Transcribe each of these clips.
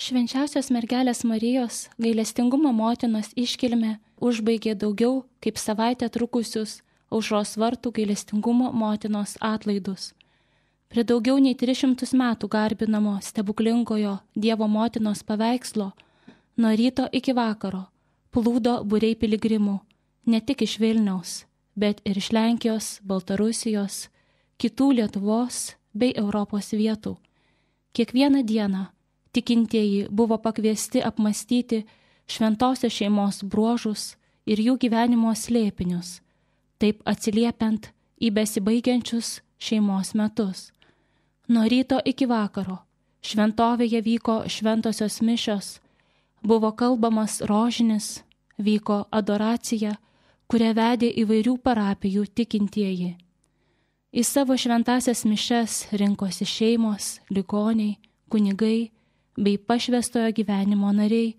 Švenčiausios mergelės Marijos gailestingumo motinos iškilmė užbaigė daugiau kaip savaitę trukusius Aušros vartų gailestingumo motinos atlaidus. Prie daugiau nei 300 metų garbinamo stebuklingojo Dievo motinos paveikslo nuo ryto iki vakaro plūdo būriai piligrimų, ne tik iš Vilniaus, bet ir iš Lenkijos, Baltarusijos, kitų Lietuvos bei Europos vietų. Kiekvieną dieną tikintieji buvo pakviesti apmastyti šventosios šeimos bruožus ir jų gyvenimo slėpinius, taip atsiliepiant į besibaigiančius šeimos metus. Nuo ryto iki vakaro šventovėje vyko šventosios mišios, buvo kalbamas rožinis, vyko adoracija, kurią vedė įvairių parapijų tikintieji. Į savo šventasias mišes rinkosi šeimos, ligoniai, kunigai bei pašvęstojo gyvenimo nariai,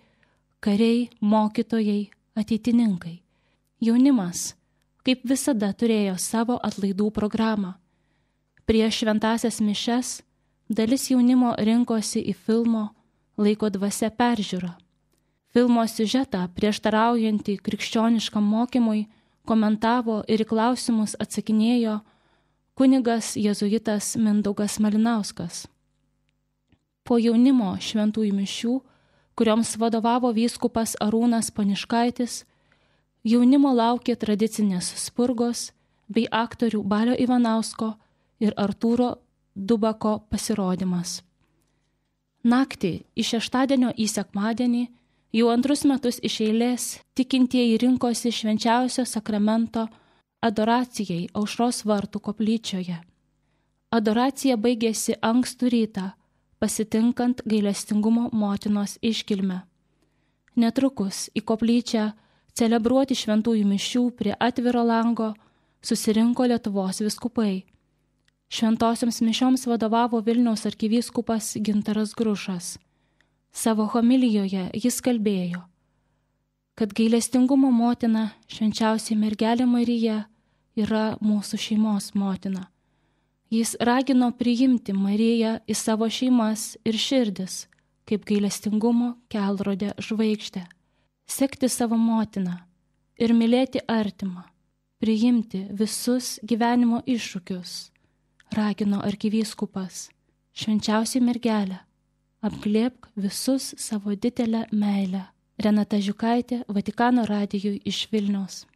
kariai, mokytojai, ateitininkai. Jaunimas, kaip visada, turėjo savo atlaidų programą. Prieš šventasias mišes dalis jaunimo rinkosi į filmo Laiko dvasia peržiūrą. Filmo siužetą prieštaraujantį krikščioniškam mokymui komentavo ir į klausimus atsakinėjo kunigas jėzuitas Mindaugas Malinauskas. Po jaunimo šventųjų mišių, kurioms vadovavo vyskupas Arūnas Poniškaitis, jaunimo laukė tradicinės spurgos bei aktorių Balio Ivanausko ir Artūro Dubako pasirodymas. Naktį iš šeštadienio į sekmadienį jau antrus metus iš eilės tikintieji rinkosi švenčiausio sakramento adoracijai Aušros vartų koplyčioje. Adoracija baigėsi ankstų rytą, pasitinkant gailestingumo motinos iškilmę. Netrukus į koplyčią celebruoti šventųjų mišių prie atviro lango susirinko Lietuvos vyskupai. Šventosioms mišioms vadovavo Vilniaus arkivyskupas Gintaras Grušas. Savo homilijoje jis kalbėjo, kad gailestingumo motina, švenčiausiai mergelė Marija, yra mūsų šeimos motina. Jis ragino priimti Mariją į savo šeimas ir širdis, kaip gailestingumo kelrodė žvaigždę, sekti savo motiną ir mylėti artimą, priimti visus gyvenimo iššūkius, ragino arkivyskupas, švenčiausiai mergelę, apglėbk visus savo didelę meilę. Renata Žiukaitė, Vatikano radijui iš Vilniaus.